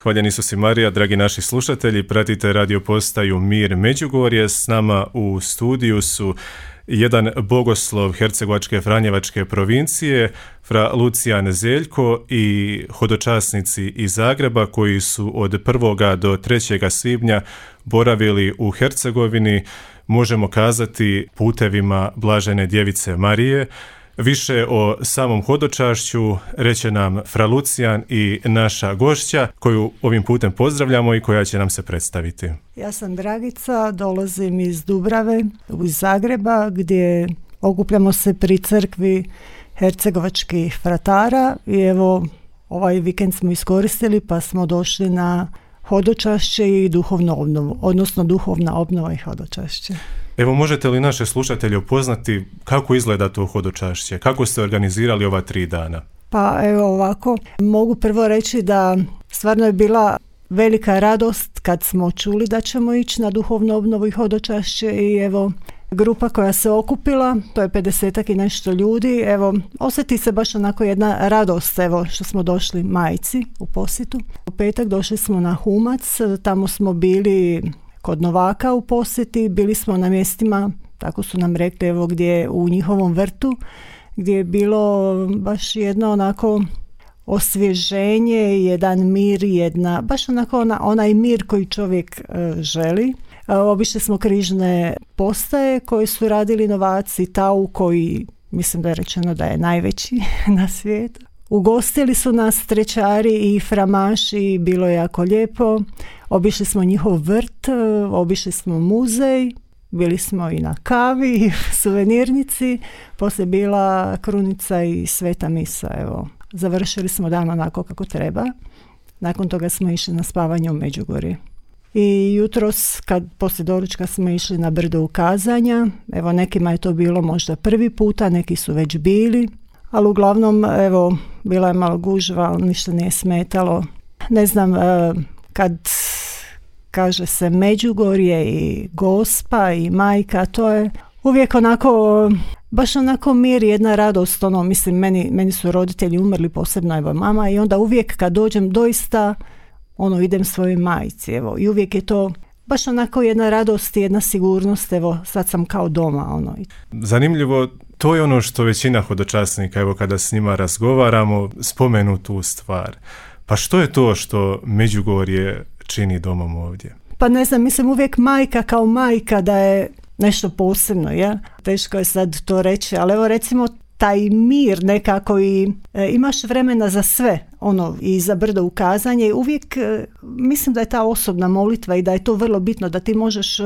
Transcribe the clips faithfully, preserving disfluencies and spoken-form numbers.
Hvaljen Isus i Marija, dragi naši slušatelji, pratite radio postaju Mir Međugorje. S nama u studiju su jedan bogoslov Hercegovačke Franjevačke provincije, fra Lucijan Zeljko, i hodočasnici iz Zagreba koji su od prvoga do trećega svibnja boravili u Hercegovini, možemo kazati putevima Blažene Djevice Marije. Više o samom hodočašću reće nam fra Lucijan i naša gošća koju ovim putem pozdravljamo i koja će nam se predstaviti. Ja sam Dragica, dolazim iz Dubrave, iz Zagreba, gdje okupljamo se pri crkvi hercegovačkih fratara i evo ovaj vikend smo iskoristili pa smo došli na hodočašće i duhovnu obnovu, odnosno duhovna obnova i hodočašće. Evo, možete li naše slušatelje upoznati kako izgleda to hodočašće? Kako ste organizirali ova tri dana? Pa evo ovako, mogu prvo reći da stvarno je bila velika radost kad smo čuli da ćemo ići na duhovnu obnovu i hodočašće i evo grupa koja se okupila, to je pedesetak i nešto ljudi, evo osjeti se baš onako jedna radost, evo što smo došli majci u posjetu. U petak došli smo na Humac, tamo smo bili kod Novaka u posjeti, bili smo na mjestima, tako su nam rekli, evo gdje u njihovom vrtu, gdje je bilo baš jedno onako osvježenje, jedan mir, jedna, baš onako ona, onaj mir koji čovjek e, želi. E, obišli smo križne postaje koje su radili novaci, Tau koji mislim da je rečeno da je najveći na svijetu. Ugostili su nas trećari i framaši, bilo je jako lijepo. Obišli smo njihov vrt, obišli smo muzej, bili smo i na kavi i suvenirnici, poslije bila krunica i sveta misa. Evo, završili smo dan onako kako treba. Nakon toga smo išli na spavanje u Međugorje. I jutros, kad poslije doručka smo išli na brdo ukazanja, evo nekima je to bilo možda prvi puta, neki su već bili, ali uglavnom, evo, bila je malo gužva, ali ništa nije smetalo. Ne znam, kad kaže se Međugorje i Gospa i Majka, to je uvijek onako, baš onako mir, jedna radost, ono, mislim, meni, meni su roditelji umrli, posebno evo mama, i onda uvijek kad dođem doista, ono, idem svojoj majci, evo, i uvijek je to baš onako jedna radost i jedna sigurnost, evo, sad sam kao doma, ono. Zanimljivo, to je ono što većina hodočasnika, evo, kada s njima razgovaramo, spomenu tu stvar. Pa što je to što Međugorje čini domom ovdje? Pa ne znam, mislim uvijek majka kao majka da je nešto posebno, ja? Teško je sad to reći, ali evo recimo taj mir nekako i e, imaš vremena za sve, ono, i za brdo ukazanje i uvijek e, mislim da je ta osobna molitva i da je to vrlo bitno, da ti možeš e,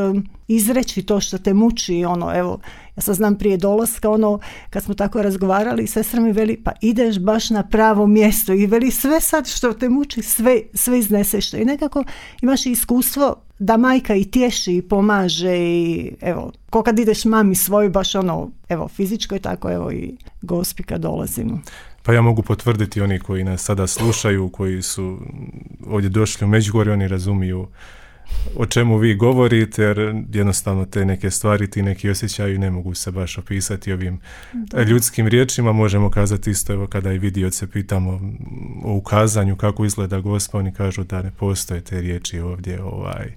izreći to što te muči, ono, evo, ja sad znam prije dolaska, ono, kad smo tako razgovarali, sestra mi veli, pa ideš baš na pravo mjesto i veli sve sad što te muči, sve, sve izneseš. I nekako imaš iskustvo da majka i tješi i pomaže i evo, ko kad ideš mami svoj, baš ono, evo, fizičko je tako, evo i Gospi kad dolazimo. Pa ja mogu potvrditi, oni koji nas sada slušaju, koji su ovdje došli u Međugorje, oni razumiju o čemu vi govorite, jer jednostavno te neke stvari, ti neki osjećaju ne mogu se baš opisati ovim da. ljudskim riječima. Možemo kazati isto, evo, kada i vidioce pitamo o ukazanju kako izgleda Gospa, oni kažu da ne postoje te riječi ovdje ovaj,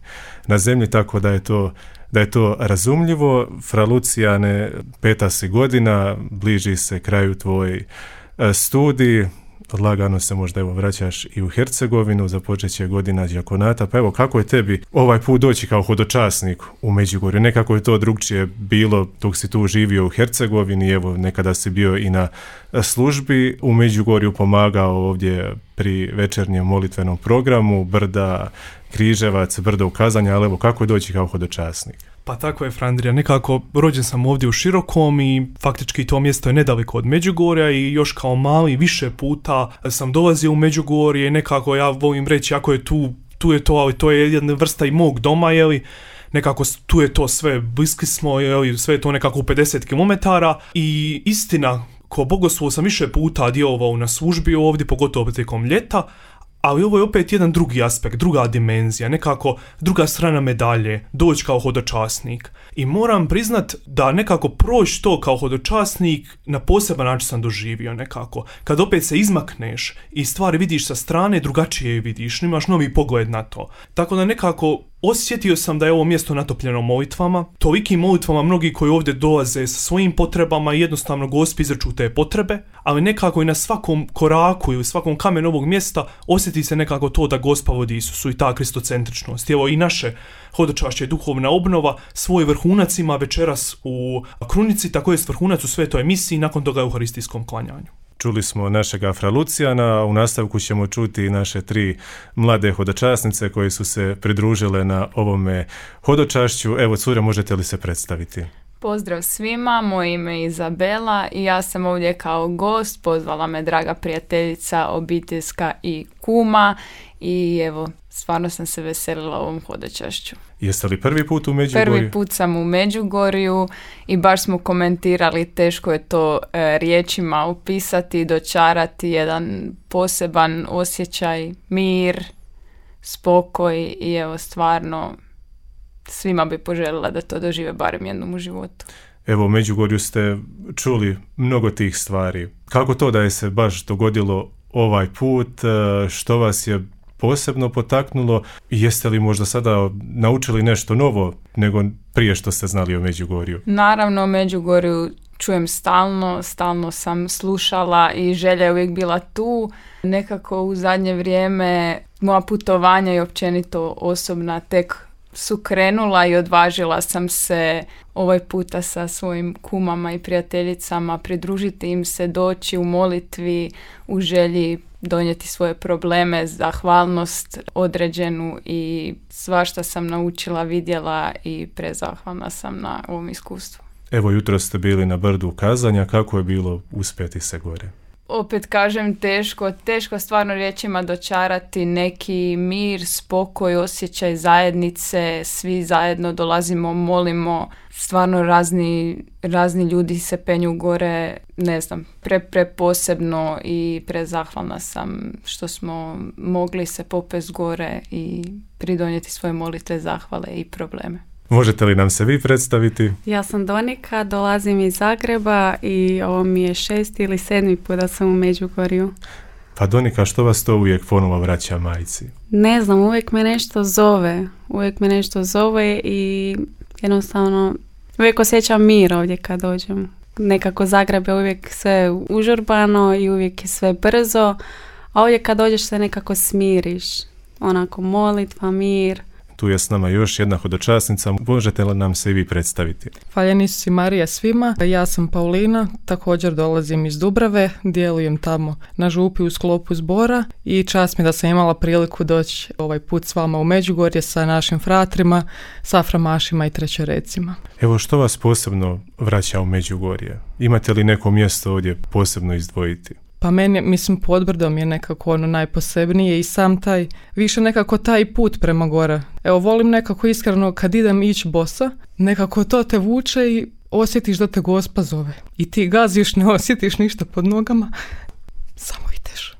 na zemlji, tako da je to da je to razumljivo. Fra Lucijane, peta si godina, bliži se kraju tvoj studij, odlagano se možda evo vraćaš i u Hercegovinu, započeće godina đakonata, pa evo kako je tebi ovaj put doći kao hodočasnik u Međugorju? Nekako je to drugčije bilo dok si tu živio u Hercegovini, evo nekada si bio i na službi u Međugorju, pomagao ovdje pri večernjem molitvenom programu, Brda, Križevac, brdo ukazanja, ali evo kako je doći kao hodočasnik? Pa tako je, Frandrija, nekako rođen sam ovdje u Širokom i faktički to mjesto je nedaleko od Međugorja i još kao mali više puta sam dolazio u Međugorje i nekako ja volim reći, ako je tu, tu je to, ali to je jedna vrsta i mog doma, jeli, nekako tu je to sve, bliski smo, jeli, sve je to nekako u pedeset kilometara i istina, ko bogoslov sam više puta djelovao na službi ovdje, pogotovo tijekom ljeta, ali ovo je opet jedan drugi aspekt, druga dimenzija, nekako druga strana medalje, doći kao hodočasnik. I moram priznat da nekako proći to kao hodočasnik na poseban način sam doživio nekako. Kad opet se izmakneš i stvari vidiš sa strane, drugačije je vidiš, imaš novi pogled na to. Tako da nekako osjetio sam da je ovo mjesto natopljeno molitvama, tolikim molitvama mnogi koji ovdje dolaze sa svojim potrebama i jednostavno Gospi izreču te potrebe, ali nekako i na svakom koraku ili svakom kamenu ovog mjesta osjeti se nekako to da Gospa vodi Isusu i ta kristocentričnost. Evo i naše hodočašće duhovna obnova svoj vrhunac ima večeras u krunici, tako je vrhunac u svetoj misiji, nakon toga u euharistijskom klanjanju. Čuli smo našega fra Lucijana, a u nastavku ćemo čuti naše tri mlade hodočasnice koje su se pridružile na ovome hodočašću. Evo, cure, možete li se predstaviti? Pozdrav svima, moje ime je Izabela i ja sam ovdje kao gost, pozvala me draga prijateljica, obiteljska i kuma i evo, stvarno sam se veselila ovom hodočašću. Jeste li prvi put u Međugorju? Prvi put sam u Međugorju i baš smo komentirali, teško je to e, riječima opisati, dočarati jedan poseban osjećaj, mir, spokoj i evo stvarno svima bi poželjela da to dožive barem jednom u životu. Evo, u Međugorju ste čuli mnogo tih stvari. Kako to da je se baš dogodilo ovaj put? Što vas je posebno potaknulo? Jeste li možda sada naučili nešto novo nego prije što ste znali o Međugorju? Naravno, o Međugorju čujem stalno, stalno sam slušala i želja je uvijek bila tu. Nekako u zadnje vrijeme moja putovanja i općenito osobna tek su krenula i odvažila sam se ovaj puta sa svojim kumama i prijateljicama pridružiti im se, doći u molitvi, u želji donijeti svoje probleme, zahvalnost određenu i svašta sam naučila, vidjela i prezahvalna sam na ovom iskustvu. Evo, jutro ste bili na brdu kazanja, kako je bilo uspjeti se gore? Opet kažem, teško, teško stvarno riječima dočarati neki mir, spokoj, osjećaj zajednice, svi zajedno dolazimo, molimo, stvarno razni, razni ljudi se penju gore, ne znam, pre, pre posebno i prezahvalna sam što smo mogli se popest gore i pridonijeti svoje molitve, zahvale i probleme. Možete li nam se vi predstaviti? Ja sam Donika, dolazim iz Zagreba i ovo mi je šesti ili sedmi put da sam u Međugorju. Pa Donika, što vas to uvijek ponovo vraća majci? Ne znam, uvijek me nešto zove. Uvijek me nešto zove i jednostavno uvijek osjećam mir ovdje kad dođem. Nekako Zagreb je uvijek sve užurbano i uvijek je sve brzo, a ovdje kad dođeš se nekako smiriš. Onako molitva, mir. Tu je s nama još jedna hodočasnica. Možete li nam se i vi predstaviti? Hvaljen Isus i Marija svima. Ja sam Paulina, također dolazim iz Dubrave, djelujem tamo na župi u sklopu zbora i čast mi da sam imala priliku doći ovaj put s vama u Međugorje sa našim fratrima, saframašima i trećerecima. Evo, što vas posebno vraća u Međugorje? Imate li neko mjesto ovdje posebno izdvojiti? Pa meni, mislim, Podbrdom je nekako ono najposebnije i sam taj, više nekako taj put prema gore. Evo, volim nekako iskreno kad idem ići bosa, nekako to te vuče i osjetiš da te Gospa zove. I ti gaziš, ne osjetiš ništa pod nogama, samo ideš.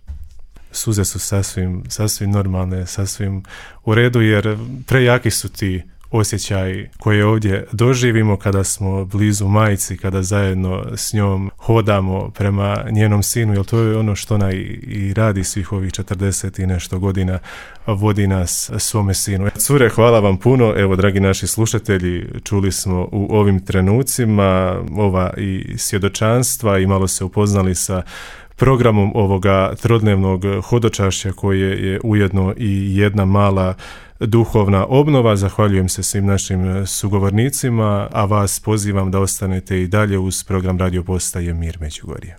Suze su sasvim, sasvim normalne, sasvim u redu, jer prejaki su ti osjećaj koje ovdje doživimo kada smo blizu majci, kada zajedno s njom hodamo prema njenom sinu, jer to je ono što ona i, i radi svih ovih četrdeset i nešto godina, vodi nas svome sinu. Cure, hvala vam puno. Evo, dragi naši slušatelji, čuli smo u ovim trenucima ova i svjedočanstva i malo se upoznali sa programom ovoga trodnevnog hodočašća koje je ujedno i jedna mala duhovna obnova. Zahvaljujem se svim našim sugovornicima, a vas pozivam da ostanete i dalje uz program Radio Postaje Mir Međugorje.